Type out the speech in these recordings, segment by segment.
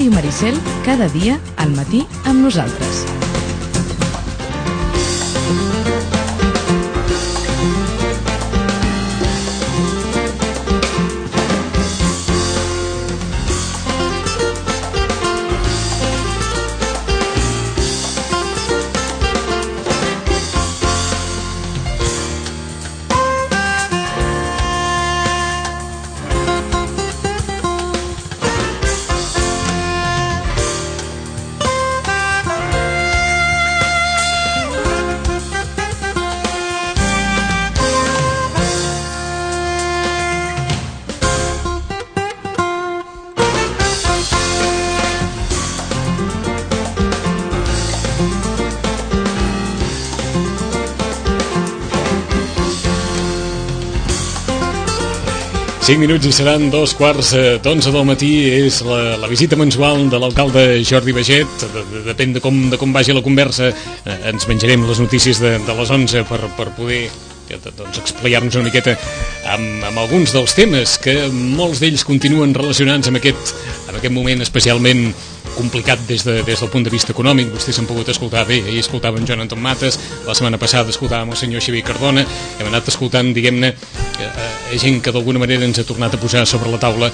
Ràdio Maricel, cada dia al matí amb nosaltres. Cinc minuts i seran 2:15 del matí. És la visita mensual de l'alcalde Jordi Baiget. Depèn de com vagi la conversa. Ens menjarem les notícies de les 11 per poder explicar-nos una miqueta amb alguns dels temes que molts d'ells continuen relacionats amb aquest moment especialment complicat des del punt de vista econòmic. Vostès han pogut escoltar bé, ahir escoltàvem Joan Anton Mates, la setmana passada escoltàvem el senyor Xavier Cardona, hem anat escoltant, diguem-ne, gent que d'alguna manera ens ha tornat a posar sobre la taula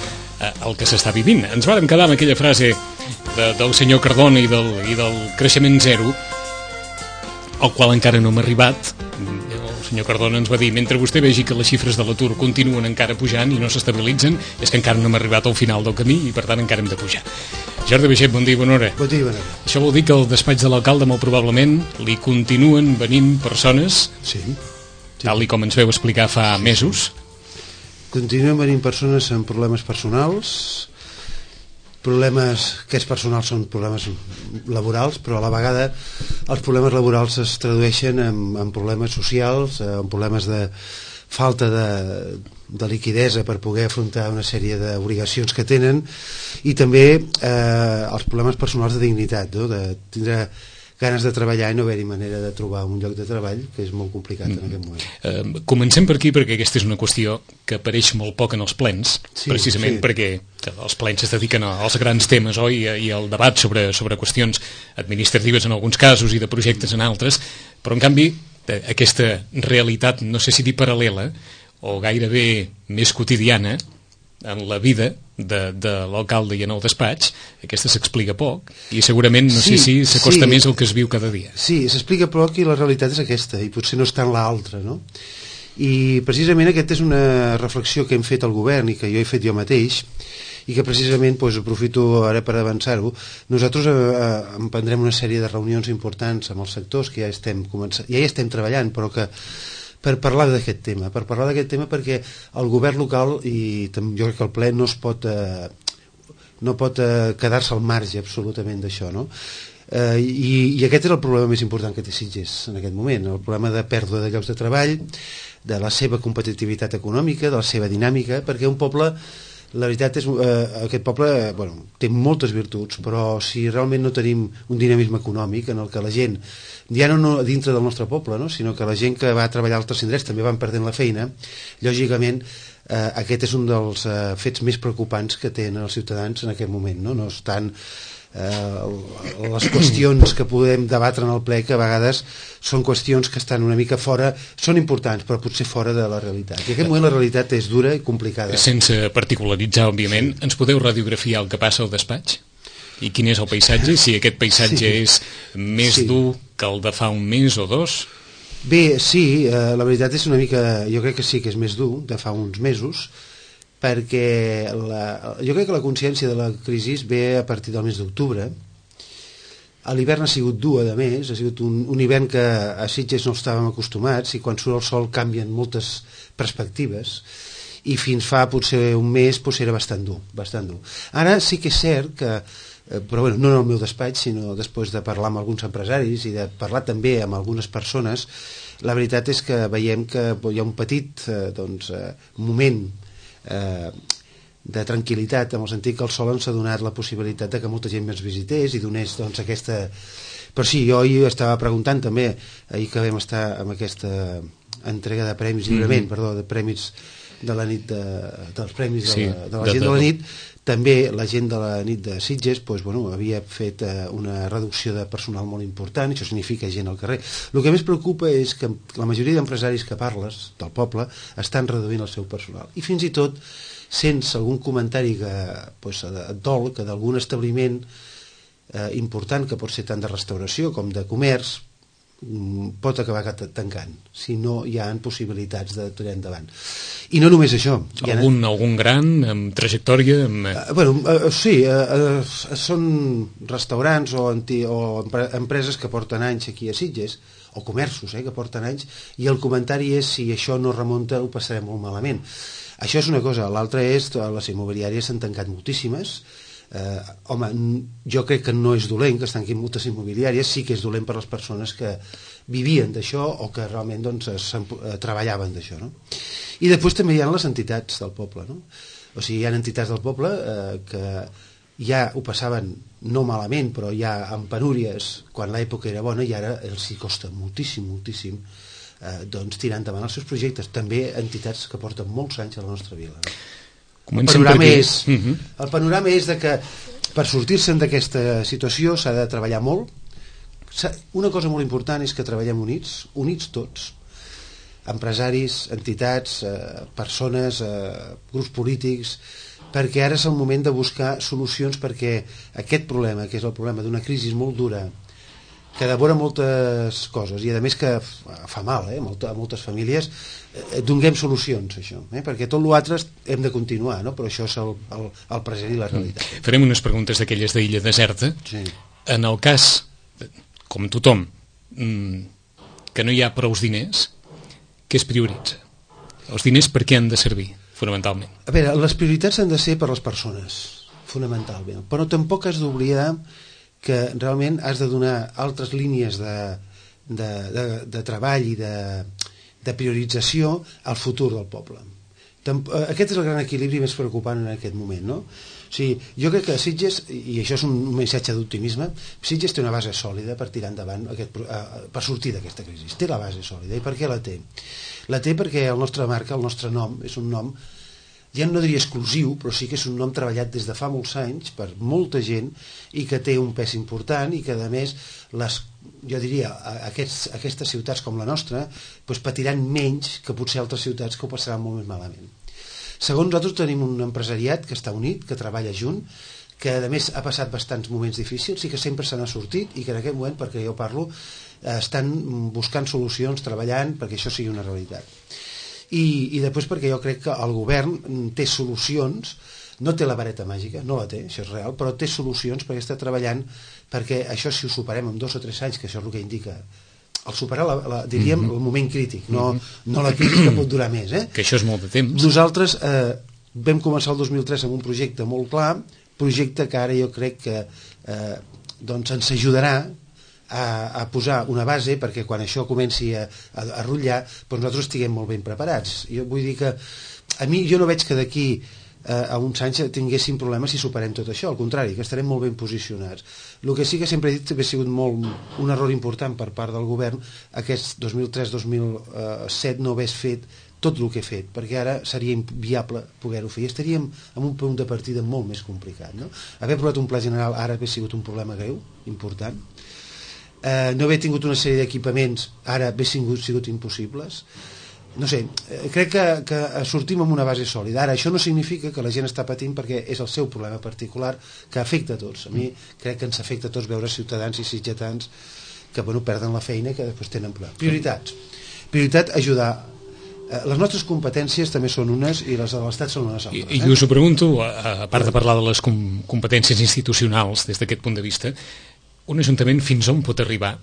el que s'està vivint. Ens vàrem quedar amb aquella frase del senyor Cardona i del creixement zero, al qual encara no hem arribat. El senyor Cardona ens va dir: mentre vostè vegi que les xifres de l'atur continuen encara pujant i no s'estabilitzen, és que encara no hem arribat al final del camí i per tant encara hem de pujar. Jordi Baiget, bon dia i bona hora. Bon dia i bona hora. Això vol dir que al despatx de l'alcalde molt probablement li continuen venint persones, sí. Tal i com ens veu explicar fa mesos. Continuen venint persones amb problemes personals, aquests personals són problemes laborals, però a la vegada els problemes laborals es tradueixen en problemes socials, en problemes de falta de liquidesa per poder afrontar una sèrie d'obligacions que tenen, i també els problemes personals de dignitat, no? De tindre ganes de treballar i no haver-hi manera de trobar un lloc de treball, que és molt complicat en aquest moment. Comencem per aquí, perquè aquesta és una qüestió que apareix molt poc en els plens, precisament perquè els plens es dediquen als grans temes, oi? I al debat sobre qüestions administratives en alguns casos i de projectes en altres, però en canvi aquesta realitat, no sé si dir paral·lela o gairebé més quotidiana en la vida de l'alcalde i en el despatx, aquesta s'explica poc i segurament no sé si s'acosta més al que es viu cada dia. Sí, s'explica poc i la realitat és aquesta, i potser no està en l'altra, no? I precisament aquesta és una reflexió que hem fet al govern i que jo he fet jo mateix, i que precisament aprofito ara per avançar-ho. Nosaltres emprendrem una sèrie de reunions importants amb els sectors que ja hi estem treballant, però que per parlar d'aquest tema, perquè el govern local i jo crec que el ple no pot quedar-se al marge absolutament d'això, no? I aquest és el problema més important que té Sitges en aquest moment, el problema de pèrdua de llocs de treball, de la seva competitivitat econòmica, de la seva dinàmica, perquè un poble, la veritat és aquest poble té moltes virtuts, però si realment no tenim un dinamisme econòmic en el que la gent, ja no dintre del nostre poble, no? Sinó que la gent que va treballar a altres indrets també van perdent la feina, lògicament aquest és un dels fets més preocupants que tenen els ciutadans en aquest moment, no? No estan les qüestions que podem debatre en el ple, que a vegades són qüestions que estan una mica fora, són importants però potser fora de la realitat, i en aquest moment la realitat és dura i complicada. Sense particularitzar, òbviament, ens podeu radiografiar el que passa al despatx? I quin és el paisatge? Si aquest paisatge és més dur que el de fa un mes o dos? Bé, sí, la veritat és una mica, jo crec que sí que és més dur de fa uns mesos, perquè jo crec que la consciència de la crisi ve a partir del mes d'octubre. L'hivern ha sigut dur, a més, ha sigut un hivern que a Sitges no estàvem acostumats, i quan surt el sol canvien moltes perspectives, i fins fa potser un mes era bastant dur. Ara sí que és cert que, però no en el meu despatx, sinó després de parlar amb alguns empresaris i de parlar també amb algunes persones, la veritat és que veiem que hi ha un petit moment de tranquil·litat, en el sentit que el sol ens ha donat la possibilitat de que molta gent ens visités i donés aquesta... Però sí, jo ahir estava preguntant també, ahir que vam estar amb aquesta entrega de premis, lliurament, de premis de la nit dels premis de la gent de la nit, també la gent de la nit de Sitges havia fet una reducció de personal molt important, això significa gent al carrer. El que més preocupa és que la majoria d'empresaris que parles del poble estan reduint el seu personal, i fins i tot sense algun comentari que et dol que d'algun establiment important, que pot ser tant de restauració com de comerç, pot acabar tancant si no hi ha possibilitats de tirar endavant. I no només això. Algun gran amb trajectòria? Sí, són restaurants o empreses que porten anys aquí a Sitges, o comerços que porten anys, i el comentari és: si això no remunta ho passarem molt malament. Això és una cosa. L'altra és les immobiliàries s'han tancat moltíssimes. Jo crec que no és dolent que es tanquin moltes immobiliàries, sí que és dolent per les persones que vivien d'això o que realment treballaven d'això, no? I després també hi ha les entitats del poble, no? O sigui, hi ha entitats del poble que ja ho passaven no malament, però ja amb penúries quan l'època era bona, i ara els hi costa moltíssim tirar endavant els seus projectes. També entitats que porten molts anys a la nostra vila, no? El panorama és que per sortir-se'n d'aquesta situació s'ha de treballar molt. Una cosa molt important és que treballem units tots, empresaris, entitats, persones, grups polítics, perquè ara és el moment de buscar solucions, perquè aquest problema, que és el problema d'una crisi molt dura, que devora moltes coses i a més que fa mal a moltes famílies, donem solucions a això, perquè tot l'altre hem de continuar, no? Però això és el present i la realitat. Farem unes preguntes d'aquelles d'illa deserta. Sí. En el cas, com tothom, que no hi ha prous diners, què es prioritza? Els diners per què han de servir, fonamentalment? A veure, les prioritats han de ser per les persones, fonamentalment, però tampoc has d'oblidar que realment has de donar altres línies de treball i de priorització al futur del poble. Aquest és el gran equilibri més preocupant en aquest moment, no? O sigui, jo crec que Sitges, i això és un missatge d'optimisme, Sitges té una base sòlida per tirar endavant, per sortir d'aquesta crisi. Té la base sòlida. I per què la té? La té perquè el nostre marca, el nostre nom, és un nom, ja no diria exclusiu, però sí que és un nom treballat des de fa molts anys per molta gent i que té un pes important, i que a més jo diria aquestes ciutats com la nostra patiran menys que potser altres ciutats que ho passaran molt més malament. Segons nosaltres tenim un empresariat que està unit, que treballa junt, que a més ha passat bastants moments difícils i que sempre se n'ha sortit, i que en aquest moment, perquè jo parlo, estan buscant solucions, treballant perquè això sigui una realitat. I després perquè jo crec que el govern té solucions, no té la vareta màgica, no la té, això és real, però té solucions perquè està treballant perquè això, si ho superem en 2 o 3 anys, que això és el que indica el superar, diríem, el moment crític, no la crisi que pot durar més. Que això és molt de temps. Nosaltres vam començar el 2003 amb un projecte molt clar, projecte que ara jo crec que ens ajudarà a posar una base perquè quan això comenci a rotllar nosaltres estiguem molt ben preparats. Jo vull dir que jo no veig que d'aquí a uns anys tinguéssim problemes si superem tot això, al contrari, que estarem molt ben posicionats. El que sí que sempre he dit que ha sigut un error important per part del govern aquest 2003-2007 no hagués fet tot el que he fet, perquè ara seria inviable poder-ho fer i estaríem en un punt de partida molt més complicat, no? Haver aprovat un pla general ara hauria sigut un problema greu, important. No haver tingut una sèrie d'equipaments ara hauria sigut impossibles. No sé, crec que sortim amb una base sòlida. Ara, això no significa que la gent està patint perquè és el seu problema particular que afecta a tots. A mi crec que ens afecta a tots veure ciutadans i sitgetans que perden la feina i que després tenen problemes. Prioritat, ajudar. Les nostres competències també són unes i les de l'Estat són unes altres. I us ho pregunto, a part de parlar de les competències institucionals des d'aquest punt de vista, un ajuntament fins on pot arribar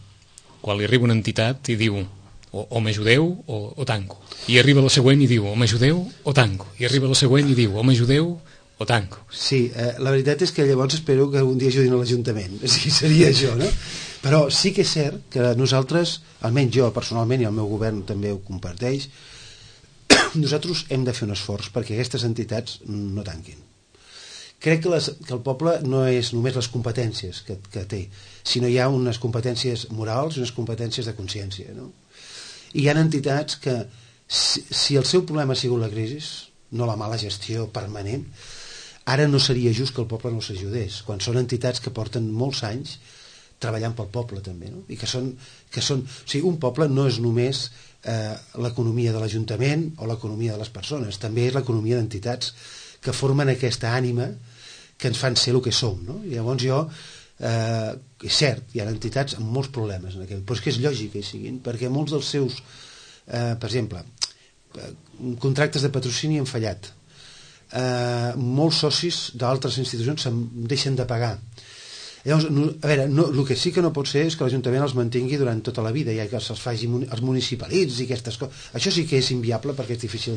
quan li arriba una entitat i diu o m'ajudeu o tanco, i arriba la següent i diu o m'ajudeu o tanco, i arriba la següent i diu o m'ajudeu o tanco? Sí, la veritat és que llavors espero que un dia ajudin a l'Ajuntament, sí, seria això, no? Però sí que és cert que nosaltres, almenys jo personalment i el meu govern també ho comparteix, nosaltres hem de fer un esforç perquè aquestes entitats no tanquin. Crec que el poble no és només les competències que té, sinó hi ha unes competències morals i unes competències de consciència, no? I hi ha entitats que, si el seu problema ha sigut la crisi, no la mala gestió permanent. Ara no seria just que el poble no s'ajudés, quan són entitats que porten molts anys treballant pel poble també, no? I que són, o sigui, un poble no és només l'economia de l'Ajuntament o l'economia de les persones, també és l'economia d'entitats que formen aquesta ànima que ens fan ser el que som, no? I llavors és cert, hi ha entitats amb molts problemes en aquest, però és que és lògic que hi siguin, perquè molts dels seus per exemple contractes de patrocini han fallat, molts socis d'altres institucions se'n deixen de pagar. Llavors, a veure, el que sí que no pot ser és que l'Ajuntament els mantingui durant tota la vida, ja que els faci els municipalitzi i aquestes coses. Això sí que és inviable perquè és difícil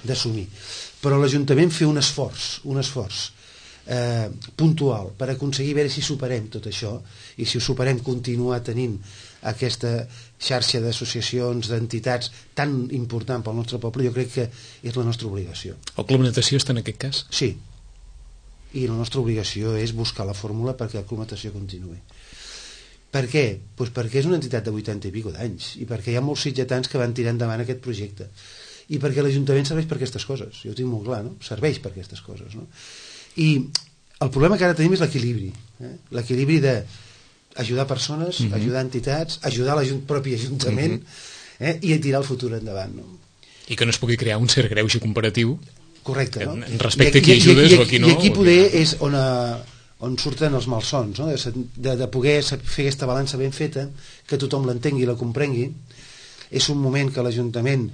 d'assumir. Però l'Ajuntament fer un esforç puntual per aconseguir veure si superem tot això, i si ho superem continuar tenint aquesta xarxa d'associacions, d'entitats tan important pel nostre poble, jo crec que és la nostra obligació. El Club Natació està en aquest cas? Sí. I la nostra obligació és buscar la fórmula perquè el Club Natació continuï. Per què? Pues perquè és una entitat de 80 i pico d'anys, i perquè hi ha molts sitgetans que van tirar endavant aquest projecte, i perquè l'Ajuntament serveix per aquestes coses, jo ho tinc molt clar, no? Serveix per aquestes coses, no? I el problema que ara tenim és l'equilibri, l'equilibri d'ajudar persones, ajudar entitats, ajudar el propi Ajuntament, i tirar el futur endavant, no? I que no es pugui crear un cert greuge comparatiu. Correcte, no? Respecte a qui ajudes o a qui no. I aquí poder és on surten els malsons, no? De poder fer aquesta balança ben feta, que tothom l'entengui i la comprengui. És un moment que l'Ajuntament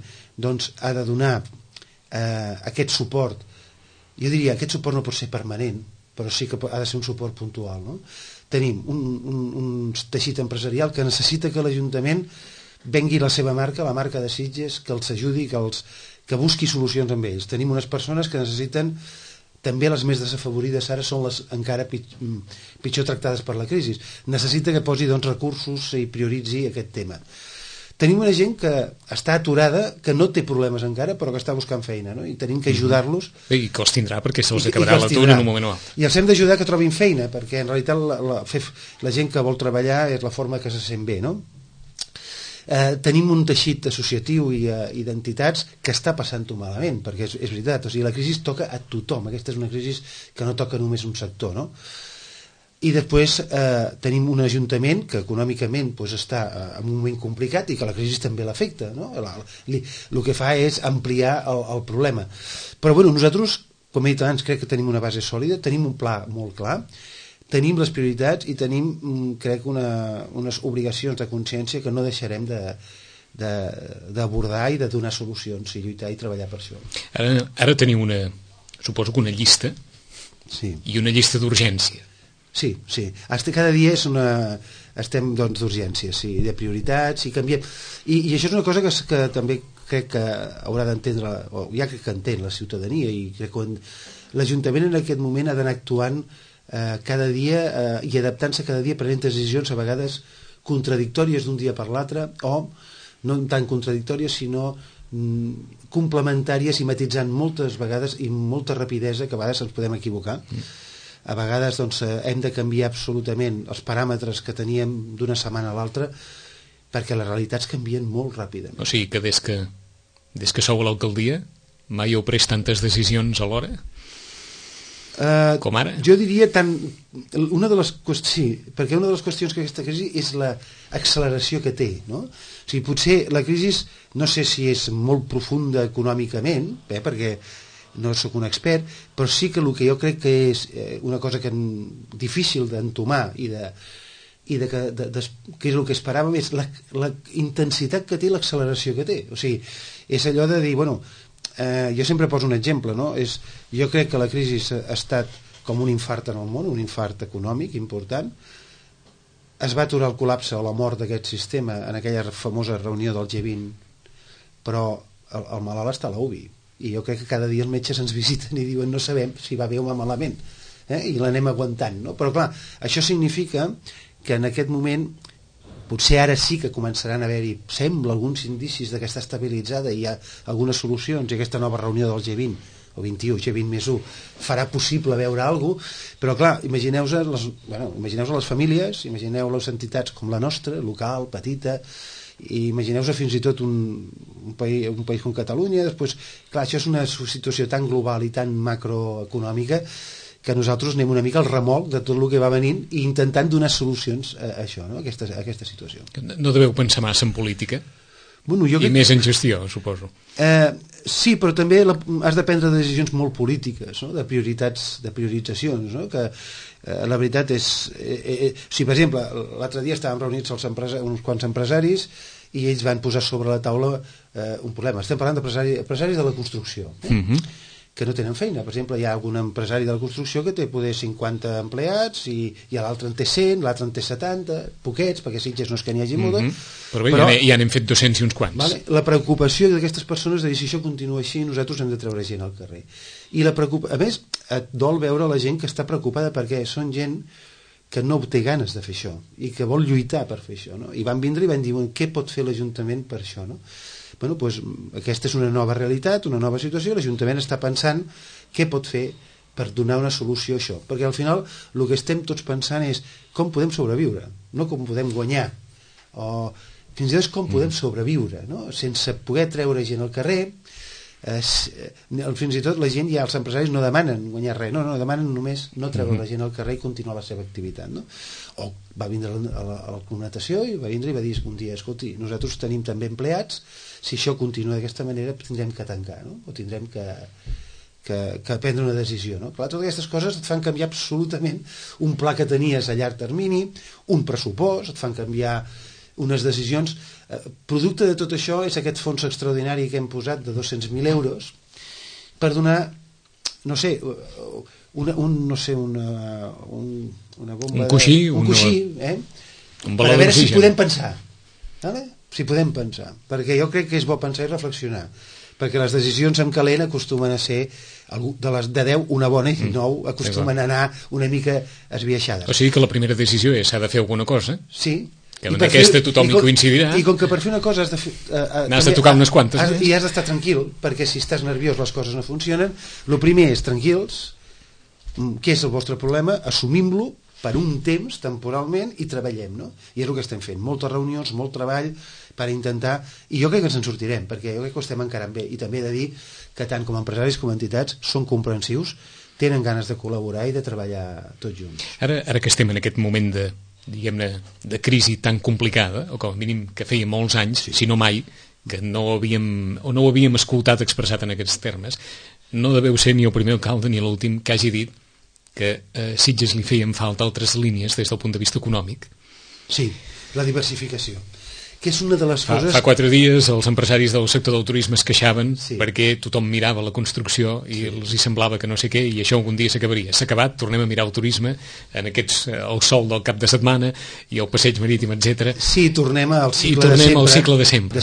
ha de donar aquest suport. Jo diria, aquest suport no pot ser permanent, però sí que ha de ser un suport puntual, no? Tenim un teixit empresarial que necessita que l'Ajuntament vengui la seva marca, la marca de Sitges, que els ajudi, que busqui solucions amb ells. Tenim unes persones que necessiten, també les més desafavorides ara són les encara pitjor tractades per la crisi. Necessita que posi recursos i prioritzi aquest tema. Tenim una gent que està aturada, que no té problemes encara, però que està buscant feina, no? I tenim que ajudar-los. I que els tindrà, perquè se'ls acabarà l'atur en un moment o altre. I els hem d'ajudar que trobin feina, perquè en realitat la gent que vol treballar és la forma que se sent bé, no? Tenim un teixit associatiu i d'entitats que està passant-ho malament, perquè és veritat, o sigui, la crisi toca a tothom, aquesta és una crisi que no toca només un sector, no? I després tenim un ajuntament que econòmicament està en un moment complicat i que la crisi també l'afecta, no? El que fa és ampliar el problema. Però bueno, nosaltres, com he dit abans, crec que tenim una base sòlida, tenim un pla molt clar, tenim les prioritats i tenim, crec, unes obligacions de consciència que no deixarem d'abordar i de donar solucions i lluitar i treballar per això. Ara tenim suposo que una llista, sí, i una llista d'urgència. Sí. Cada dia estem d'urgència, sí, de prioritats, i canviem. I això és una cosa que també crec que haurà d'entendre, o ja crec que entén la ciutadania, i crec que l'Ajuntament en aquest moment ha d'anar actuant cada dia i adaptant-se cada dia, prenent decisions a vegades contradictòries d'un dia per l'altre, o no tan contradictòries sinó complementàries, i matitzant moltes vegades i amb molta rapidesa, que a vegades ens podem equivocar. A vegades hem de canviar absolutament els paràmetres que teníem d'una setmana a l'altra, perquè les realitats canvien molt ràpidament. O sigui que des que sou a l'alcaldia mai heu pres tantes decisions alhora? Com ara? Jo diria sí, perquè una de les qüestions que aquesta crisi és l'acceleració que té, no? O sigui, potser la crisi no sé si és molt profunda econòmicament, perquè no sóc un expert, però sí que el que jo crec que és una cosa difícil d'entomar i que és el que esperàvem, és la intensitat que té, l'acceleració que té. O sigui, és allò de dir, bueno, jo sempre poso un exemple, no? Jo crec que la crisi ha estat com un infart en el món, un infart econòmic important. Es va aturar el col·lapse o la mort d'aquest sistema en aquella famosa reunió del G20, però el malalt està a la UBI, i jo crec que cada dia els metges ens visiten i diuen no sabem si va bé o va malament, i l'anem aguantant, no? Però clar, això significa que en aquest moment potser ara sí que començaran a haver-hi, sembla, alguns indicis que està estabilitzada i hi ha algunes solucions, i aquesta nova reunió del G20 o 21, G20 més 1 farà possible veure alguna cosa, però clar, imagineu-vos les famílies, imagineu les entitats com la nostra, local, petita, i imagineu-vos fins i tot un país com Catalunya. Després, clar, això és una situació tan global i tan macroeconòmica que nosaltres anem una mica al remolc de tot el que va venint i intentant donar solucions a això, no? a aquesta situació. No deveu pensar massa en política? Bueno, I més en gestió, suposo. Sí, però també has de prendre decisions molt polítiques, no? de prioritzacions, no? Que la veritat és... si, per exemple, l'altre dia estàvem reunits uns quants empresaris i ells van posar sobre la taula un problema. Estem parlant d'empresaris de la construcció, que no tenen feina. Per exemple, hi ha algun empresari de la construcció que té poder 50 empleats i l'altre en té 100, l'altre en té 70, poquets, perquè Sitges no és que n'hi hagi molta. Però bé, ja n'hem fet 200 i uns quants. Vale? La preocupació d'aquestes persones de dir si això continua així, nosaltres hem de treure gent al carrer. I a més, et dol veure la gent que està preocupada perquè són gent que no té ganes de fer això i que vol lluitar per fer això. No? I van vindre i van dir, què pot fer l'Ajuntament per això? No? Bueno, doncs, aquesta és una nova realitat, una nova situació, l'Ajuntament està pensant què pot fer per donar una solució a això, perquè al final el que estem tots pensant és com podem sobreviure, no com podem guanyar, o fins i tot com podem sobreviure, no? Sense poder treure gent al carrer. Fins i tot la gent, ja els empresaris no demanen guanyar res, no demanen només no treure la gent al carrer i continuar la seva activitat, no? O va vindre a la Comunicació i va vindre i va dir un dia, escolti, nosaltres tenim també empleats, si això continua d'aquesta manera tindrem que tancar, no? O tindrem que prendre una decisió, no? Clar, totes aquestes coses et fan canviar absolutament un pla que tenies a llarg termini, un pressupost, et fan canviar unes decisions. Producte de tot això és aquest fons extraordinari que hem posat de 200.000 euros per donar, no sé, una bomba, un coixí, per a veure si podem pensar, vale? Si podem pensar, perquè jo crec que és bo pensar i reflexionar, perquè les decisions en calent acostumen a ser de 10 una bona i 9 acostumen a anar una mica esbiaixades. O sigui que la primera decisió és s'ha de fer alguna cosa. Sí. Que en aquesta tothom hi coincidirà. I com que per fer una cosa has de tocar unes quantes. I has d'estar tranquil, perquè si estàs nerviós les coses no funcionen. El primer és tranquils, què és el vostre problema, assumim-lo per un temps, temporalment, i treballem, no? I és el que estem fent, moltes reunions, molt treball per intentar, i jo crec que ens en sortirem, perquè jo crec que ho estem encarant bé, i també he de dir que tant com a empresaris com a entitats són comprensius, tenen ganes de col·laborar i de treballar tots junts. Ara que estem en aquest moment diguem-ne, de crisi tan complicada, o com a mínim que feia molts anys, si no mai, que no ho havíem escoltat expressat en aquests termes, no deveu ser ni el primer alcalde ni l'últim que hagi dit que a Sitges li feien falta altres línies des del punt de vista econòmic. Sí, la diversificació, que és una de les coses... Fa 4 dies els empresaris del sector del turisme es queixaven perquè tothom mirava la construcció i els hi semblava que no sé què, i això algun dia s'acabaria. S'ha acabat, tornem a mirar el turisme en el sol del cap de setmana i el passeig marítim, etc. Sí, tornem al cicle de sempre.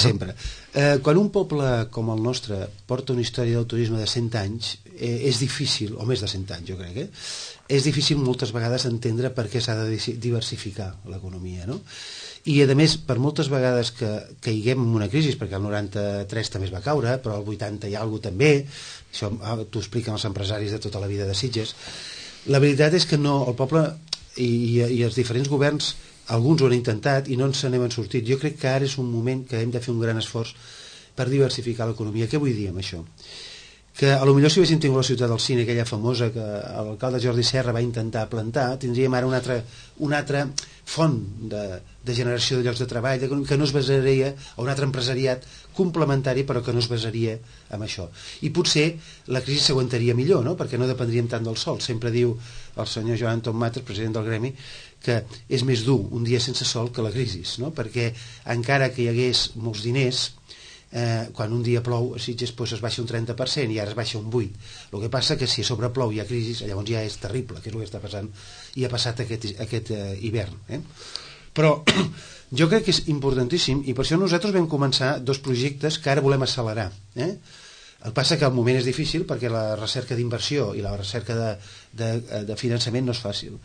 Quan un poble com el nostre porta una història del turisme de 100 anys, és difícil, o més de 100 anys jo crec, és difícil moltes vegades entendre per què s'ha de diversificar l'economia, no? I a més, per moltes vegades que caiguem en una crisi, perquè el 93 també es va caure, però el 80 hi ha alguna també, això t'ho expliquen els empresaris de tota la vida de Sitges, la veritat és que no, el poble i els diferents governs, alguns ho han intentat i no ens n'hem sortit. Jo crec que ara és un moment que hem de fer un gran esforç per diversificar l'economia. Què vull dir amb això? Que a lo millor si haguéssim tingut la ciutat del cine, aquella famosa que l'alcalde Jordi Serra va intentar plantar, tindríem ara una altra font de generació de llocs de treball que no es basaria, o un altre empresariat complementari però que no es basaria en això. I potser la crisi s'aguantaria millor, no? Perquè no dependríem tant del sol. Sempre diu el senyor Joan Tom Mates, president del Gremi, que és més dur un dia sense sol que la crisi, no? Perquè encara que hi hagués molts diners, quan un dia plou a Sitges es baixa un 30% i ara es baixa un 8%. El que passa que si a sobre plou i hi ha crisi, llavors ja és terrible, que és el que està passant i ha passat aquest hivern. Però jo crec que és importantíssim i per això nosaltres vam començar 2 projectes que ara volem accelerar. El que passa que el moment és difícil perquè la recerca d'inversió i la recerca de finançament no és fàcil.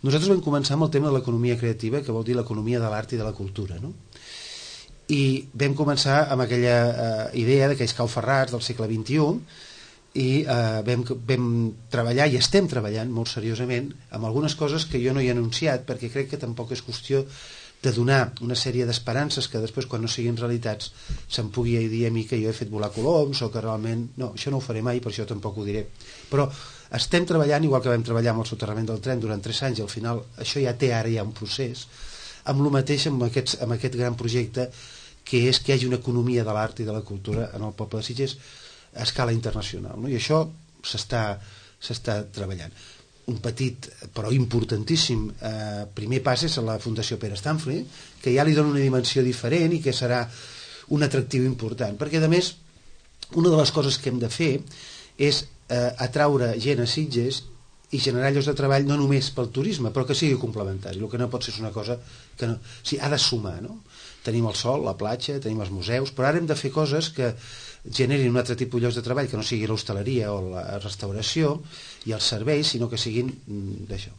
Nosaltres vam començar amb el tema de l'economia creativa, que vol dir l'economia de l'art i de la cultura, no? I vam començar amb aquella idea d'aquells cauferrats del segle XXI i vam treballar i estem treballant molt seriosament amb algunes coses que jo no he anunciat perquè crec que tampoc és qüestió de donar una sèrie d'esperances que després, quan no siguin realitats, se'm pugui dir a mi que jo he fet volar coloms o que realment... No, això no ho faré mai, per això tampoc ho diré. Però estem treballant, igual que vam treballar amb el soterrament del tren durant 3 anys, i al final això ja té ara ja un procés, amb el mateix amb aquest gran projecte, que és que hi hagi una economia de l'art i de la cultura en el poble de Sitges a escala internacional, no? I això s'està treballant. Un petit però importantíssim primer pas és a la Fundació Pere Stanfrey, que ja li dona una dimensió diferent i que serà un atractiu important, perquè a més una de les coses que hem de fer és atraure gent a Sitges i generar llocs de treball no només pel turisme, però que sigui complementari. El que no pot ser és una cosa que no, o sigui, ha de sumar, no? Tenim el sol, la platja, tenim els museus, però ara hem de fer coses que generin un altre tipus de llocs de treball, que no sigui l'hostaleria o la restauració i els serveis, sinó que siguin d'això.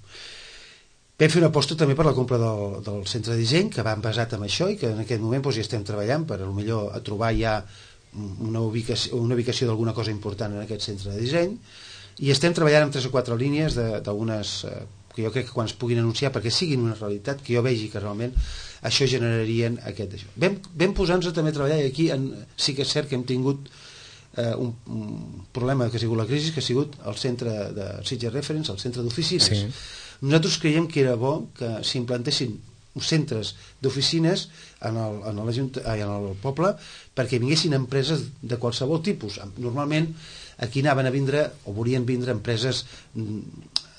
Vam fer una aposta també per la compra del centre de disseny, que va basat en això i que en aquest moment doncs, ja estem treballant per potser a trobar ja una ubicació d'alguna cosa important en aquest centre de disseny, i estem treballant amb 3 o 4 línies d'algunes que jo crec que quan es puguin anunciar, perquè siguin una realitat, que jo vegi que realment això generarien aquest d'això. Vam posar-nos també a treballar, i aquí sí que és cert que hem tingut un problema que ha sigut la crisi, que ha sigut el centre de Sitges Reference, el centre d'oficines. Sí. Nosaltres creiem que era bo que s'implantessin centres d'oficines en el poble perquè vinguessin empreses de qualsevol tipus. Normalment aquí anaven a vindre o volien vindre empreses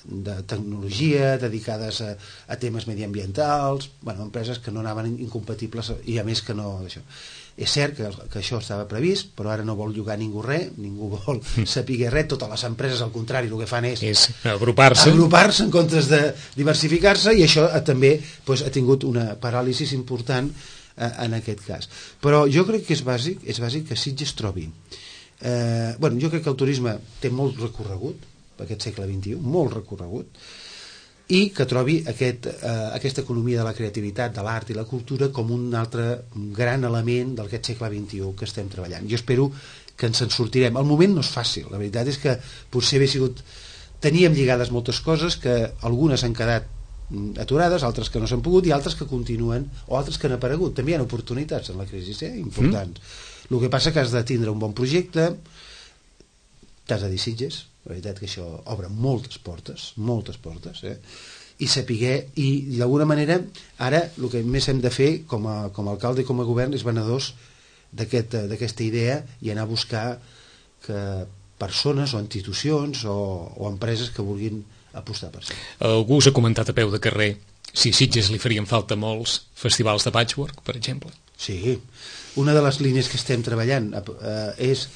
de tecnologia dedicades a temes mediambientals, empreses que no anaven incompatibles i a més que no això. És cert que això estava previst, però ara no vol llogar ningú res, ningú vol saber res, totes les empreses al contrari el que fan és agrupar-se en comptes de diversificar-se, i això també ha tingut una paràlisi important en aquest cas. Però jo crec que és bàsic que Sitges trobi jo crec que el turisme té molt recorregut per aquest segle XXI, molt recorregut, i que trobi aquesta economia de la creativitat, de l'art i la cultura com un altre gran element d'aquest segle XXI que estem treballant. Jo espero que ens en sortirem. El moment no és fàcil, la veritat és que potser teníem lligades moltes coses, que algunes han quedat aturades, altres que no s'han pogut i altres que continuen, o altres que han aparegut. També hi ha oportunitats en la crisi, importants. El que passa que has de tindre un bon projecte, t'has de dir Sitges, la veritat que això obre moltes portes, i saber, i d'alguna manera ara el que més hem de fer com a alcalde i com a govern és venedors d'aquesta idea i anar a buscar que persones o institucions o empreses que vulguin apostar per això. Algú us ha comentat a peu de carrer si a Sitges li farien falta molts festivals de patchwork, per exemple. Sí, una de les línies que estem treballant és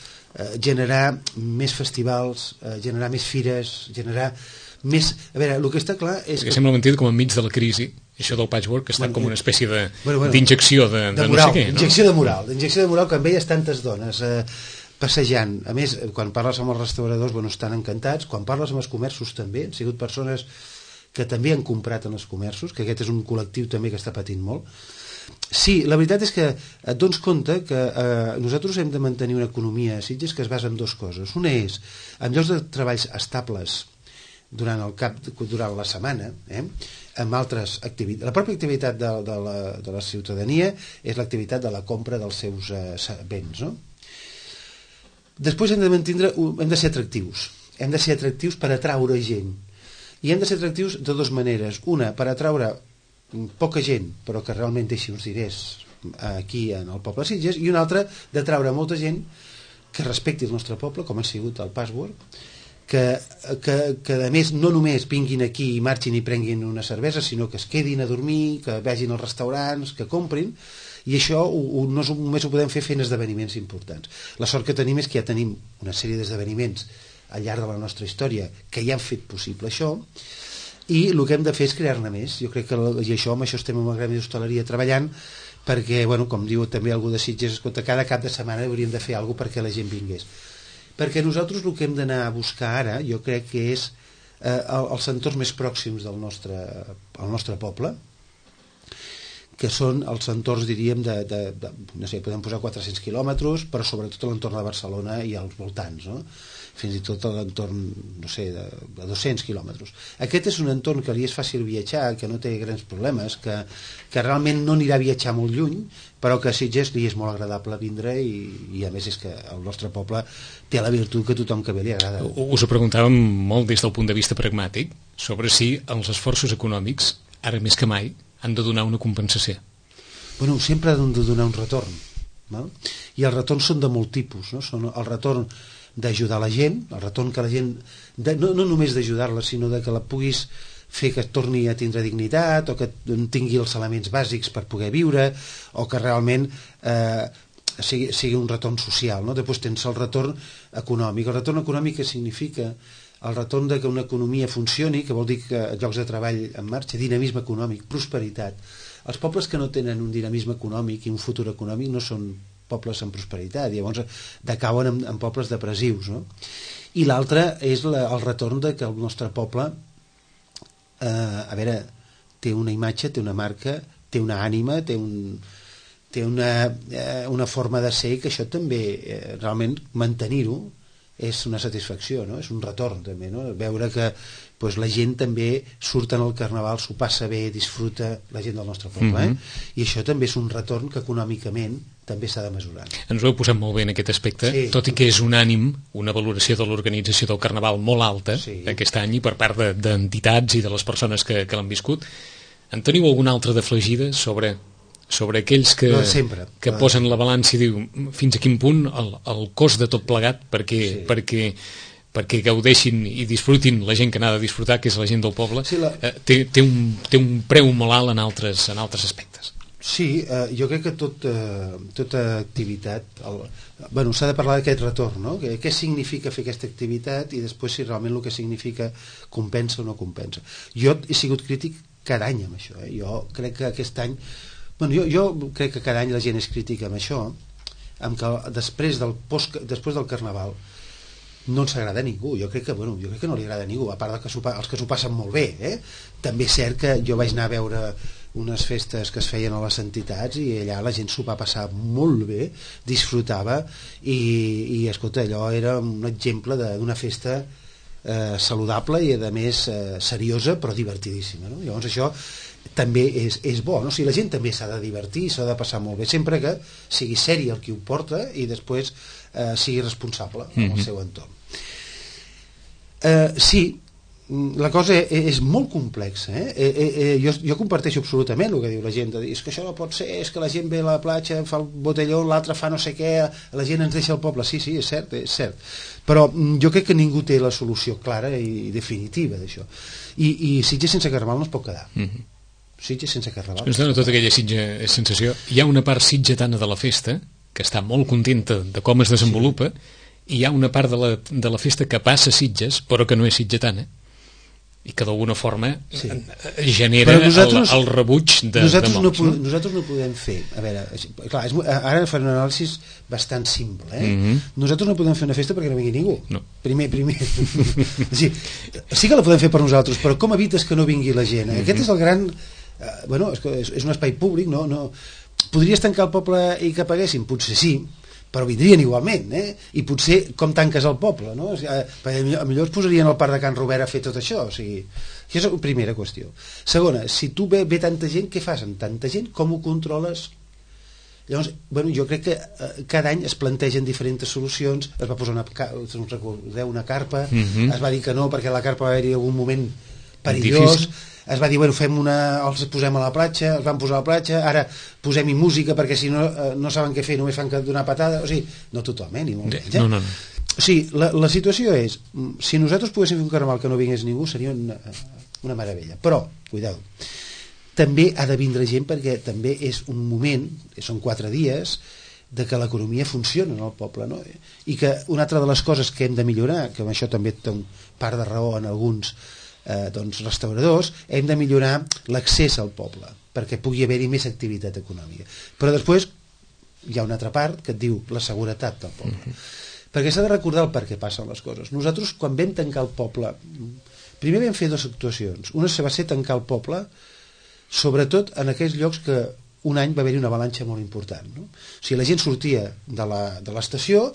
generar més festivals, generar més fires, generar més... A veure, el que està clar és que... sembla mentida com enmig de la crisi, això del patchwork està com una espècie d'injecció de no sé què, no? D'injecció de moral, quan veies tantes dones passejant. A més, quan parles amb els restauradors, estan encantats. Quan parles amb els comerços també, han sigut persones que també han comprat en els comerços, que aquest és un col·lectiu també que està patint molt. Sí, la veritat és que et dones compte que nosaltres hem de mantenir una economia a Sitges que es basa en 2 coses. Una és en llocs de treballs estables durant la setmana, amb altres activitats. La pròpia activitat de la ciutadania és l'activitat de la compra dels seus béns, no? Després hem de ser atractius. Hem de ser atractius per atraure gent. I hem de ser atractius de 2 maneres. Una, per atraure poca gent, però que realment deixi uns diners aquí en el poble de Sitges, i una altra, d'atraure molta gent que respecti el nostre poble, com ha sigut el Patchwork, que a més no només vinguin aquí i marxin i prenguin una cervesa, sinó que es quedin a dormir, que vagin als restaurants, que comprin, i això no només ho podem fer fent esdeveniments importants. La sort que tenim és que ja tenim una sèrie d'esdeveniments al llarg de la nostra història que ja han fet possible això, i el que hem de fer és crear-ne més. Jo crec que amb això estem en el gremi d'hostaleria treballant, perquè, com diu també algú de Sitges, escolta, cada cap de setmana hauríem de fer alguna cosa perquè la gent vingués. Perquè nosaltres el que hem d'anar a buscar ara, jo crec que és els entorns més pròxims del nostre poble, que són els entorns, diríem, no sé, podem posar 400 quilòmetres, però sobretot a l'entorn de Barcelona i als voltants, no? Fins i tot a l'entorn, no sé, de 200 quilòmetres. Aquest és un entorn que li és fàcil viatjar, que no té grans problemes, que realment no anirà a viatjar molt lluny, però que a Sitges li és molt agradable vindre i a més és que el nostre poble té la virtut que tothom que ve li agrada. Us ho preguntàvem molt des del punt de vista pragmàtic, sobre si els esforços econòmics, ara més que mai, han de donar una compensació. Bueno, sempre han de donar un retorn, no? I els retorns són de molt tipus, no? Són el retorn d'ajudar la gent, el retorn que la gent, no només d'ajudar-la, sinó de que la puguis fer que torni a tindre dignitat, o que tingui els elements bàsics per poder viure, o que realment sigui un retorn social, no? Després tens el retorn econòmic. El retorn econòmic que significa el retorn de que una economia funcioni, que vol dir que llocs de treball en marxa, dinamisme econòmic, prosperitat. Els pobles que no tenen un dinamisme econòmic i un futur econòmic no són pobles amb prosperitat, llavors decauen en pobles depressius, no? I l'altre és el retorn de que el nostre poble té una imatge, té una marca, té una ànima, té una forma de ser, que això també realment mantenir-ho és una satisfacció, no? És un retorn també, no? Veure que la gent també surt al carnaval, s'ho passa bé, disfruta la gent del nostre poble, i això també és un retorn que econòmicament també s'ha de mesurar. Ens ho heu posat molt bé en aquest aspecte, sí. Tot i que és unànim una valoració de l'organització del carnaval molt alta, sí, aquest any, i per part d'entitats i de les persones que l'han viscut. En teniu alguna altra d'afegida sobre aquells que posen la balança i diu fins a quin punt el cost de tot plegat perquè gaudeixin i disfrutin la gent que n'ha de disfrutar, que és la gent del poble, sí, té un preu molt alt en altres aspectes. Sí, jo crec que tota activitat s'ha de parlar d'aquest retorn, no? Què significa fer aquesta activitat i després si realment el que significa compensa o no compensa. Jo he sigut crític cada any amb això, jo crec que aquest any jo crec que cada any la gent és crítica amb això, amb que després del Carnaval no ens agrada a ningú. Jo crec que no li agrada a ningú, a part els que s'ho passen molt bé, També és cert que jo vaig anar a veure unes festes que es feien a les entitats i allà la gent s'ho va passar molt bé, disfrutava i escolta, allò era un exemple d'una festa saludable i a més seriosa però divertidíssima, no? Llavors això també és bo, no? O sigui, la gent també s'ha de divertir, s'ha de passar molt bé, sempre que sigui seri el qui ho porta i després sigui responsable en el seu entorn. Sí, la cosa és molt complexa, jo comparteixo absolutament el que diu la gent, de dir, és que això no pot ser, és que la gent ve a la platja, fa el botelló, l'altre fa no sé què, la gent ens deixa el poble. Sí, és cert, però jo crec que ningú té la solució clara i definitiva d'això, i Sitges sense Carnaval no es pot quedar. Sitges sense Carnaval. Ens dona tota aquella sensació. Hi ha una part sitgetana de la festa que està molt contenta de com es desenvolupa, i hi ha una part de la festa que passa a Sitges però que no és sitgetana i que d'alguna forma genera el rebuig de molts. Nosaltres no podem fer, a veure, clar, ara faré un anàlisi bastant simple, nosaltres no podem fer una festa perquè no vingui ningú, no. primer sí que la podem fer per nosaltres, però com evites que no vingui la gent? Aquest és el gran és un espai públic, no podries tancar el poble i que paguessin? Potser sí, però vindrien igualment, i potser com tanques el poble, no? Perquè millor es posarien al Parc de Can Robert a fer tot això, o sigui, això és la primera qüestió. Segona, si tu ve tanta gent, què fas amb tanta gent? Com ho controles? Llavors, jo crec que cada any es plantegen diferents solucions, es va posar una carpa, es va dir que no perquè la carpa va haver-hi algun moment perillós, es va dir, els posem a la platja, els van posar a la platja, ara posem-hi música perquè si no saben què fer, només fan que donar patada, o sigui, no tothom, ni molt menys. No. O sigui, la situació és, si nosaltres poguéssim fer un carnaval que no vingués ningú, seria una meravella, però, cuidado, també ha de vindre gent perquè també és un moment, són 4 dies, de que l'economia funciona en el poble, no? I que una altra de les coses que hem de millorar, que amb això també té part de raó en alguns restauradors, hem de millorar l'accés al poble perquè pugui haver-hi més activitat econòmica, però després hi ha una altra part que et diu la seguretat del poble, perquè s'ha de recordar el per què passen les coses. Nosaltres quan vam tancar el poble, primer vam fer 2 actuacions, una va ser tancar el poble sobretot en aquells llocs que un any va haver-hi una avalanxa molt important, no? O sigui, la gent sortia de l'estació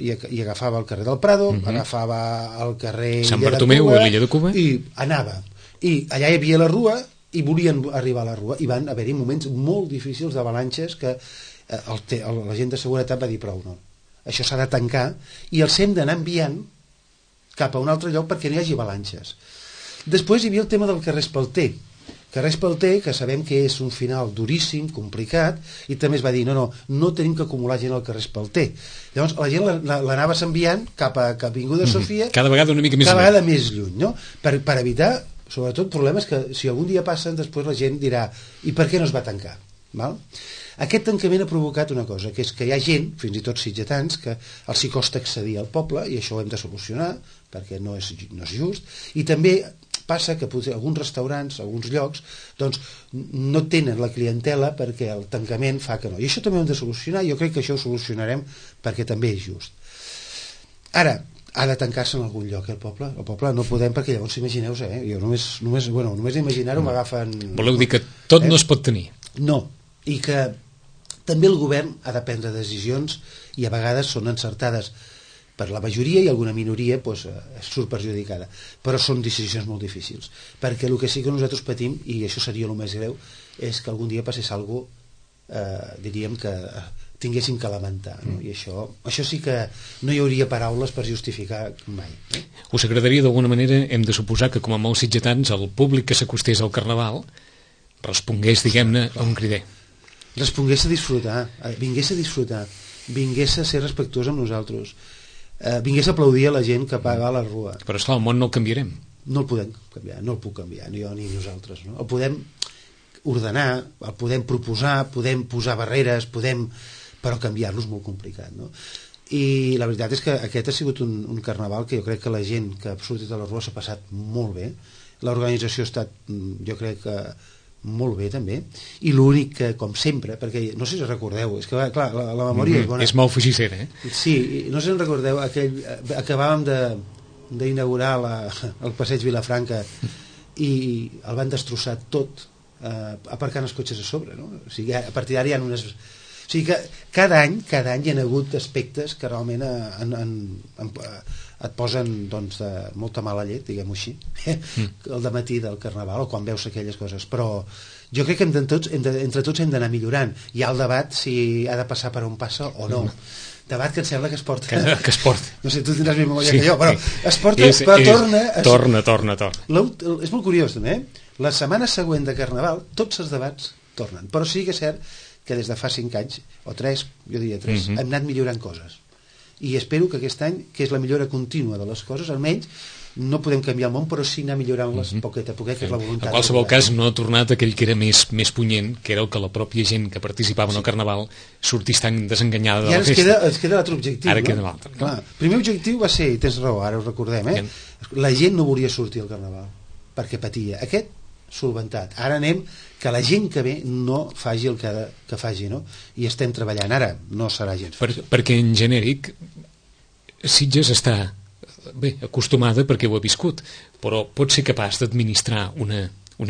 i agafava el carrer del Prado, agafava el carrer Sant Bartomeu o l'Illa de Cuba i anava, i allà hi havia la rua i volien arribar a la rua i van haver-hi moments molt difícils d'avalanxes que la gent de seguretat va dir prou, no, això s'ha de tancar i els hem d'anar enviant cap a un altre lloc perquè no hi hagi avalanxes. Després hi havia el tema del carrer Espalter, que sabem que és un final duríssim, complicat, i també es va dir, no tenim que acumular gent al carrer Espalter. Llavors la gent l'anaves enviant cap a Avinguda Sofia, cada vegada una mica més cada vegada més lluny, no? Per evitar, sobretot, problemes que si algun dia passen, després la gent dirà, i per què no es va tancar? Val? Aquest tancament ha provocat una cosa, que és que hi ha gent, fins i tot sitgetans, que els hi costa accedir al poble, i això ho hem de solucionar, perquè no és just, i també passa que potser alguns restaurants, alguns llocs, doncs no tenen la clientela perquè el tancament fa que no. I això també ho hem de solucionar, i jo crec que això ho solucionarem perquè també és just. Ara, ha de tancar-se en algun lloc, el poble no podem, perquè llavors imagineu, jo només imaginar-ho m'agafen... Voleu dir que tot no es pot tenir? No, i que també el govern ha de prendre decisions i a vegades són encertades per la majoria i alguna minoria surt perjudicada, però són decisions molt difícils, perquè el que sí que nosaltres patim, i això seria el més greu, és que algun dia passés alguna cosa, diríem que tinguéssim que lamentar, no? I això sí que no hi hauria paraules per justificar mai. Us agradaria d'alguna manera, hem de suposar que com a molts sitgetans el públic que s'acostés al Carnaval respongués, diguem-ne, a un crider, respongués a disfrutar, vingués a disfrutar, vingués a ser respectuós amb nosaltres, vingués a aplaudir a la gent que paga a la rua. Però esclar, el món no el canviarem. No el podem canviar, no el puc canviar, ni jo ni nosaltres, no? El podem ordenar, el podem proposar, podem posar barreres, però canviar-lo és molt complicat, no? I la veritat és que aquest ha sigut un carnaval que jo crec que la gent que ha sortit a la rua s'ha passat molt bé, l'organització ha estat, jo crec que molt bé també, i l'únic que, com sempre, perquè no sé si recordeu, és que clar, la memòria és bona. És molt fugissera, Sí, no sé si recordeu, acabàvem d'inaugurar el passeig Vilafranca i el van destrossar tot, aparcant els cotxes a sobre, no? O sigui, a partir d'ara hi ha unes... O sigui que cada any hi ha hagut aspectes que realment et posen doncs, de molta mala llet, diguem-ho així, el dematí del Carnaval o quan veus aquelles coses, però jo crec que entre tots hem d'anar millorant. Hi ha el debat si ha de passar per on passa o no. Debat que em sembla que es porta... Que es porta. No sé, tu tindràs més memòria que jo, però es porta, però torna. És molt curiós, també, La setmana següent de Carnaval, tots els debats tornen, però sí que és cert que des de fa 5 anys, o 3, jo diria 3, hem anat millorant coses. I espero que aquest any, que és la millora contínua de les coses, almenys no podem canviar el món, però sí anar millorant-les poquet a poquet, que és la voluntat. En qualsevol cas, no ha tornat aquell que era més punyent, que era el que la pròpia gent que participava en el Carnaval sortís tan desenganyada de la festa. I ara ens queda l'altre objectiu. Ara queda l'altre. Clar, el primer objectiu va ser, i tens raó, ara ho recordem, la gent no volia sortir al Carnaval, perquè patia. Aquest solventat. Ara anem que la gent que ve no faci el que faci, no? I estem treballant. Ara no serà gens fàcil. Perquè en genèric Sitges està acostumada perquè ho ha viscut, però pot ser capaç d'administrar una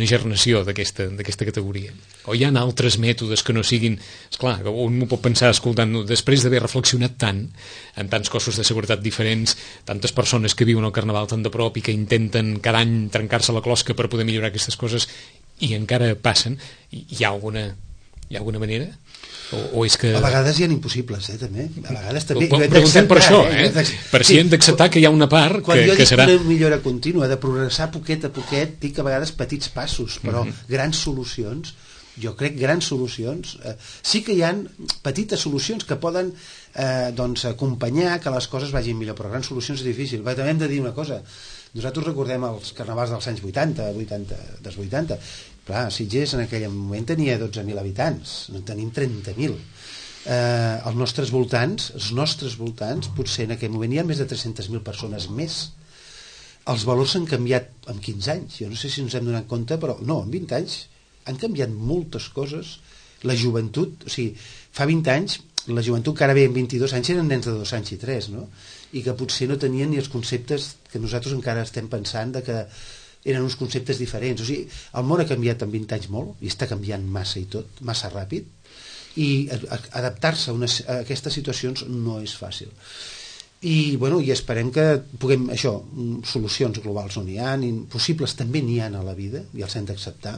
gernació d'aquesta categoria. O hi ha altres mètodes que no siguin... Esclar, un m'ho pot pensar escoltant-ho, després d'haver reflexionat tant en tants cossos de seguretat diferents, tantes persones que viuen el Carnaval tan de prop i que intenten cada any trencar-se la closca per poder millorar aquestes coses i encara passen, hi ha alguna manera? O és que... A vegades hi ha impossibles, també. A vegades també... Preguntem per això, per si hem d'acceptar que hi ha una part que serà... Quan jo dic una millora contínua, de progressar poquet a poquet, dic a vegades petits passos, però grans solucions, jo crec grans solucions, sí que hi ha petites solucions que poden acompanyar que les coses vagin millor, però grans solucions és difícil. També hem de dir una cosa, nosaltres recordem els carnavals dels anys 80, clar, Sitges en aquell moment tenia 12.000 habitants, no en tenim 30.000. Els nostres voltants, potser en aquell moment hi ha més de 300.000 persones més. Els valors s'han canviat en 15 anys, jo no sé si ens hem donat compte, però no, en 20 anys han canviat moltes coses. La joventut, o sigui, fa 20 anys, la joventut que ara ve en 22 anys eren nens de 2 anys i 3, no? I que potser no tenien ni els conceptes que nosaltres encara estem pensant de que eren uns conceptes diferents. O sigui, el món ha canviat en 20 anys molt, i està canviant massa i tot, massa ràpid, i adaptar-se a aquestes situacions no és fàcil. I, bueno, i esperem que puguem, això, solucions globals no n'hi ha, possibles també n'hi ha a la vida, i els hem d'acceptar,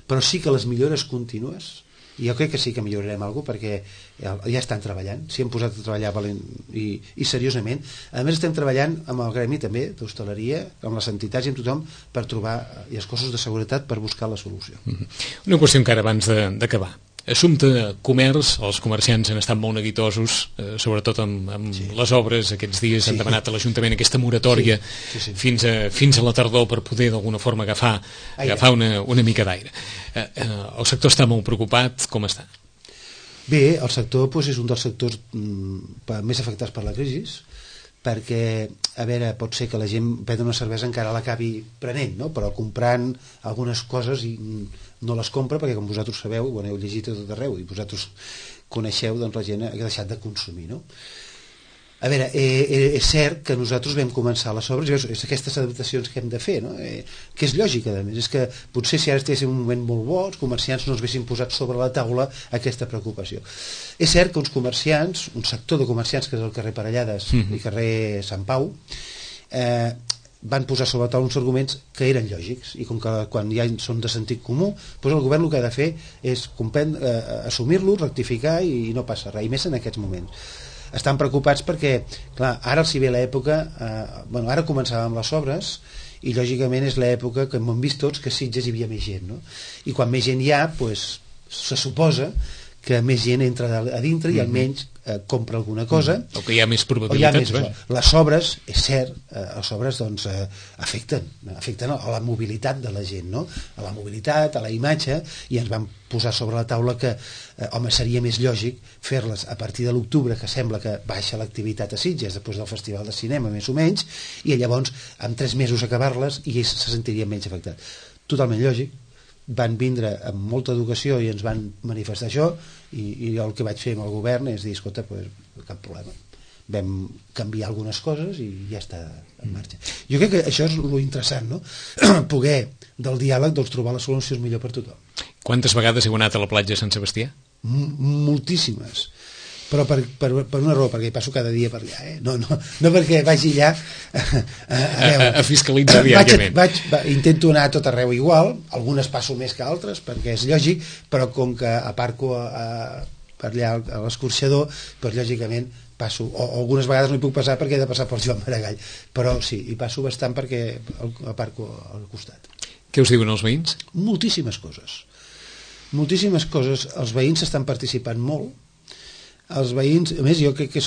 però sí que les millores contínues, i jo crec que sí que millorarem alguna cosa, perquè ja estan treballant, s'hi han posat a treballar i seriosament. A més, estem treballant amb el gremi també d'hostaleria, amb les entitats i amb tothom, per trobar i els cossos de seguretat per buscar la solució. Una qüestió encara abans d'acabar. Assumpte comerç, els comerciants han estat molt neguitosos, sobretot amb les obres. Aquests dies han demanat a l'Ajuntament aquesta moratòria fins a la tardor per poder d'alguna forma agafar una mica d'aire. El sector està molt preocupat, com està? Bé, el sector és un dels sectors més afectats per la crisi, perquè, a veure, pot ser que la gent prendre una cervesa encara l'acabi prenent, no? Però comprant algunes coses i no les compra, perquè com vosaltres sabeu, ho heu llegit a tot arreu i vosaltres coneixeu, doncs la gent ha deixat de consumir, no? A veure, és cert que nosaltres vam començar les obres, és aquestes adaptacions que hem de fer, no? Que és lògica, a més, és que potser si ara estiguéssim en un moment molt bo, els comerciants no ens haguessin posat sobre la taula aquesta preocupació. És cert que uns comerciants, un sector de comerciants, que és el carrer Parellades i carrer Sant Pau, van posar sobre la taula uns arguments que eren lògics, i com que quan ja són de sentit comú, doncs el govern el que ha de fer és assumir-lo, rectificar, i no passa res, i més en aquests moments. Estan preocupats perquè, clar, ara els hi ve l'època, ara començàvem les obres, i lògicament és l'època que hem vist tots que a Sitges hi havia més gent, no? I quan més gent hi ha, doncs, se suposa que més gent entra a dintre i almenys compra alguna cosa, o que hi ha més probabilitats. Les obres, és cert, les obres doncs, afecten a la mobilitat de la gent, no? A la mobilitat, a la imatge, i ens van posar sobre la taula que home, seria més lògic fer-les a partir de l'octubre, que sembla que baixa l'activitat a Sitges després del Festival de Cinema, més o menys, i llavors en 3 mesos acabar-les i ells se sentirien menys afectats. Totalment lògic. Van vindre amb molta educació i ens van manifestar això, i el que vaig fer amb el govern és dir, escolta, pues, cap problema, vam canviar algunes coses i ja està en marxa. Jo crec que això és lo interessant, no? Poder del diàleg doncs, trobar les solucions millor per tothom. Quantes vegades heu anat a la platja de Sant Sebastià? Moltíssimes, però per una raó, perquè hi passo cada dia per allà, no perquè vagi allà a fiscalitzar diàriament. Intento anar a tot arreu igual, algunes passo més que altres perquè és lògic, però com que aparco per allà a l'escorxador, doncs lògicament passo, o algunes vegades no hi puc passar perquè he de passar pel Joan Maragall, però sí, hi passo bastant perquè aparco al costat. Què us diuen els veïns? Moltíssimes coses, els veïns estan participant molt. Els veïns, a més, jo crec que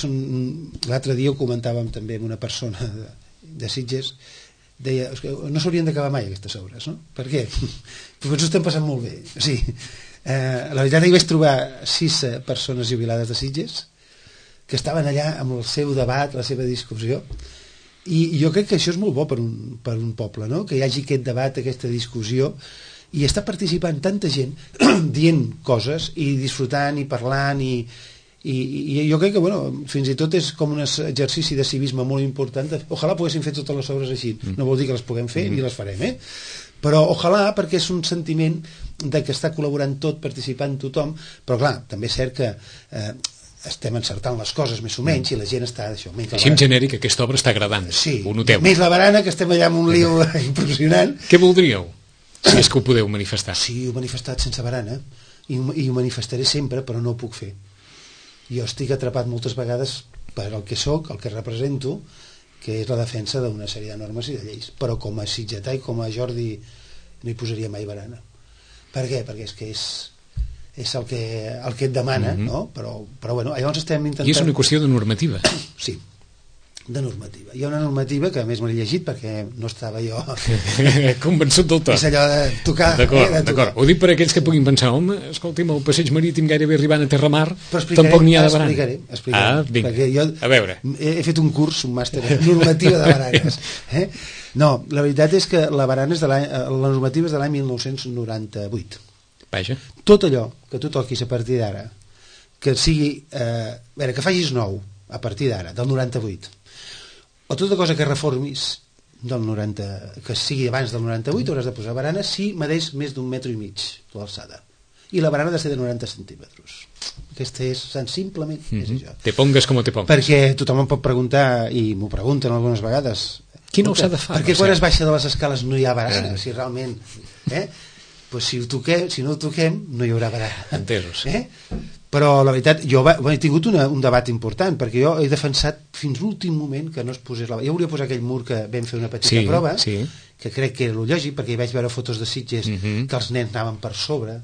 l'altre dia ho comentàvem també amb una persona de Sitges, deia, no s'haurien d'acabar mai aquestes obres, no? Per què? Perquè ens ho estem passant molt bé. O sigui, la veritat, hi vaig trobar 6 persones jubilades de Sitges que estaven allà amb el seu debat, la seva discussió, i jo crec que això és molt bo per un poble, no? Que hi hagi aquest debat, aquesta discussió, i està participant tanta gent dient coses i disfrutant i parlant, i jo crec que fins i tot és com un exercici de civisme molt important. Ojalà poguéssim fer totes les obres així, no vol dir que les puguem fer ni les farem, però ojalà, perquè és un sentiment de que està col·laborant tot, participant tothom, però clar, també és cert que estem encertant les coses més o menys i la gent està això. Així en genèric aquesta obra està agradant, ho noteu. Més la barana, que estem allà amb un lío impressionant. Què voldríeu, si és que ho podeu manifestar? Sí, ho he manifestat sense barana i ho manifestaré sempre, però no ho puc fer. Jo estic atrapat moltes vegades per el que sóc, el que represento, que és la defensa d'una sèrie de normes i de lleis, però com a sitgetà i com a Jordi no hi posaria mai barana. Per què? Perquè és que és el que et demana, no? Però bueno, llavors estem intentant... I és una qüestió de normativa. Sí, de normativa. Hi ha una normativa que a més me l'he llegit perquè no estava jo convençut del tot. És allò de tocar. D'acord. Ho dic per aquells que puguin pensar, home, escolti'm, el passeig marítim gairebé arribant a Terramar, tampoc n'hi ha de barana. Explicaré. Vinga, jo a veure. He fet un curs, un màster de normativa de baranes. No, la veritat és que la barana és la normativa és de l'any 1998. Vaja. Tot allò que tu toquis a partir d'ara, que sigui, que facis nou a partir d'ara, del 98, o tota cosa que reformis del 90, que sigui abans del 98 hauràs de posar barana si medeix més d'1,5 metres l'alçada, i la barana ha de ser de 90 centímetres. Aquesta és simplement és això. Te pongues com te pongues, perquè tothom em pot preguntar, i m'ho pregunten algunes vegades, quina alçada fa? Perquè quan es baixa de les escales no hi ha barana, si realment pues si no ho toquem no hi haurà barana. Entesos. Però la veritat, jo he tingut un debat important, perquè jo he defensat fins l'últim moment que no es posés la... Jo volia posar aquell mur que vam fer una petita prova, que crec que era lo lògic, perquè hi vaig veure fotos de Sitges que els nens anaven per sobre,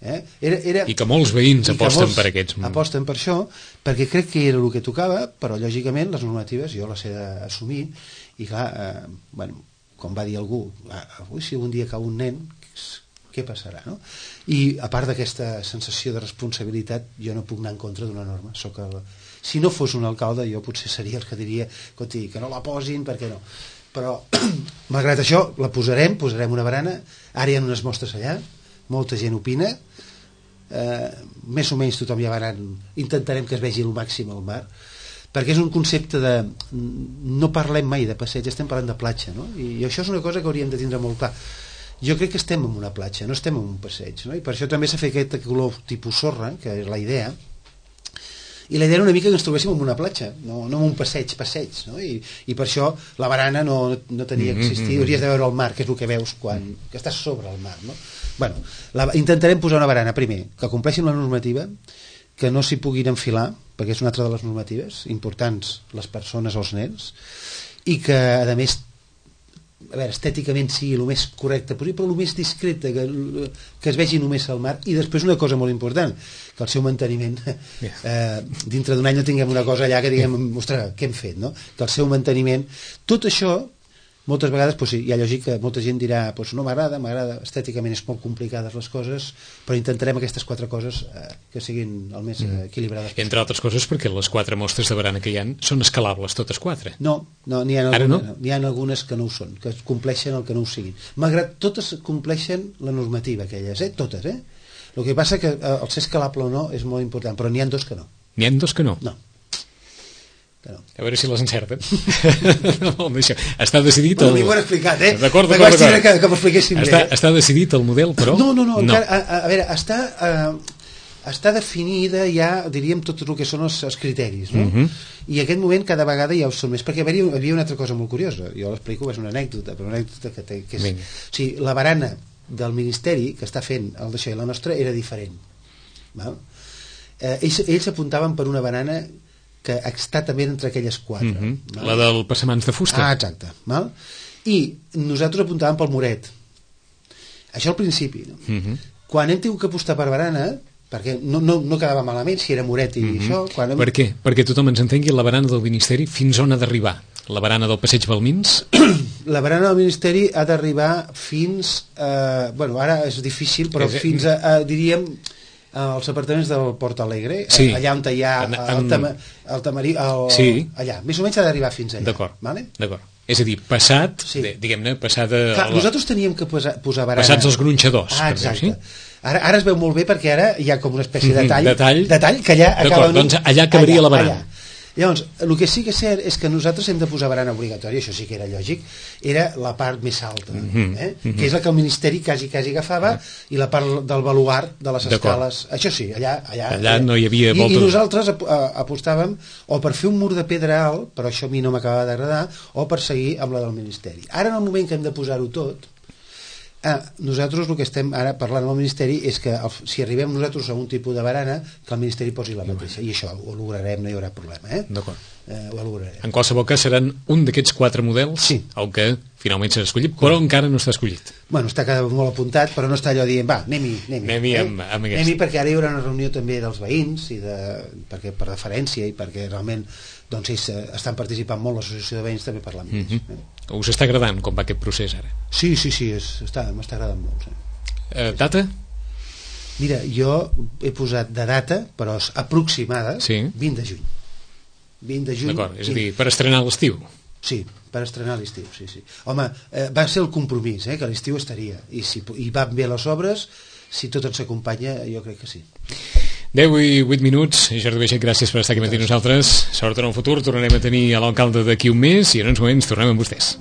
i que molts veïns aposten per aquests. Aposten per això, perquè crec que era el que tocava, però lògicament les normatives jo les he d'assumir, i clar, com va dir algú, avui si un dia cau un nen, què passarà, no? I a part d'aquesta sensació de responsabilitat, jo no puc anar en contra d'una norma. Si no fos un alcalde, jo potser seria el que diria que no la posin, perquè no. Però, malgrat això, la posarem una barana, ara hi ha unes mostres allà, molta gent opina, més o menys tothom ja va anant, intentarem que es vegi el màxim al mar, perquè és un concepte de... no parlem mai de passeig, estem parlant de platja, no? I això és una cosa que hauríem de tindre molt clar. Jo crec que estem en una platja, no estem en un passeig, no? I per això també s'ha fet aquest color tipus sorra, que és la idea, i la idea era una mica que ens trobéssim en una platja, no en un passeig, no? I per això la barana no tenia que existir, hauries de veure el mar, que és el que veus quan que estàs sobre el mar, no? Bueno, intentarem posar una barana, primer, que compleixin la normativa, que no s'hi puguin enfilar, perquè és una altra de les normatives importants, les persones o els nens, i que, a més, estèticament sigui el més correcte possible, però el més discreta, que es vegi només al mar. I després una cosa molt important, que el seu manteniment dintre d'un any no tinguem una cosa allà que diguem, ostres, què hem fet, no? Que el seu manteniment, tot això moltes vegades, sí, hi ha lògic que molta gent dirà no m'agrada, estèticament és molt complicades les coses, però intentarem aquestes 4 coses que siguin el més equilibrades. Entre altres coses perquè les 4 mostres de barana que hi ha són escalables totes 4. No, n'hi ha algunes que no ho són, que compleixen el que no ho siguin. Malgrat totes compleixen la normativa aquelles, totes. El que passa que el ser escalable o no és molt important, però n'hi ha 2 que no. N'hi ha 2 que no? No. A veure si les encerten. Està decidit el... M'ho han explicat, D'acord. Que m'ho expliquéssim bé. Està decidit el model, però... No. Encara, a veure, està definida ja, diríem, tot el que són els criteris, no? I en aquest moment cada vegada ja ho són més, perquè hi havia una altra cosa molt curiosa, jo l'explico, és una anècdota, però una anècdota que és... O sigui, la barana del Ministeri que està fent el d'això i la nostra era diferent, val? Ells apuntaven per una barana que està també entre aquelles 4. La del passamans de fusta. Exacte. Val? I nosaltres apuntàvem pel muret. Això al principi. No? Quan hem tingut que apostar per barana, perquè no quedava malament si era muret i això... Per què? Perquè tothom ens entengui la barana del Ministeri fins on ha d'arribar. La barana del Passeig Balmins? La barana del Ministeri ha d'arribar fins... ara és difícil, però fins a diríem... als apartaments del Port Alegre, allà on hi ha el tamarí, allà, més o menys ha d'arribar fins allà. D'acord. És a dir, passat, diguem-ne, passada... Nosaltres teníem que posar barana... Passats els gronxadors. Exacte. Ara es veu molt bé perquè ara hi ha com una espècie de tall que allà acaba... Doncs allà acabaria la barana. Llavors, el que sí que és cert és que nosaltres hem de posar barana obligatòria, això sí que era lògic, era la part més alta, que és la que el Ministeri quasi agafava, i la part del baluart de les escales, això sí, allà no hi havia volta. I nosaltres apostàvem o per fer un mur de pedra alt, però això a mi no m'acaba d'agradar, o per seguir amb la del Ministeri. Ara, en el moment que hem de posar-ho tot, nosaltres el que estem ara parlant amb el Ministeri és que si arribem nosaltres a un tipus de barana, que el Ministeri posi la mateixa, i això ho lograrem, no hi haurà problema. D'acord. Ho lograrem. En qualsevol cas seran un d'aquests 4 models el que finalment serà escollit, però encara no està escollit. Bueno, està molt apuntat, però no està allò dient, va, anem-hi amb aquest. Perquè ara hi haurà una reunió també dels veïns, perquè per deferència i perquè realment doncs ells estan participant molt, l'associació de veïns també parlant amb ells. Us està agradant com va aquest procés ara? Sí, m'està agradant molt. Data? Mira, jo he posat de data, però aproximada, 20 de juny. 20 de juny. D'acord, és a dir, per estrenar l'estiu. Sí, per estrenar l'estiu, sí. Home, va ser el compromís, que l'estiu estaria, i van bé les obres, si tot ens acompanya, jo crec que sí. 10 i 8 minuts. Jordi Baixet, gràcies per estar aquí amb nosaltres. Sort en el futur, tornarem a tenir a l'alcalde d'aquí un mes i en uns moments tornem amb vostès.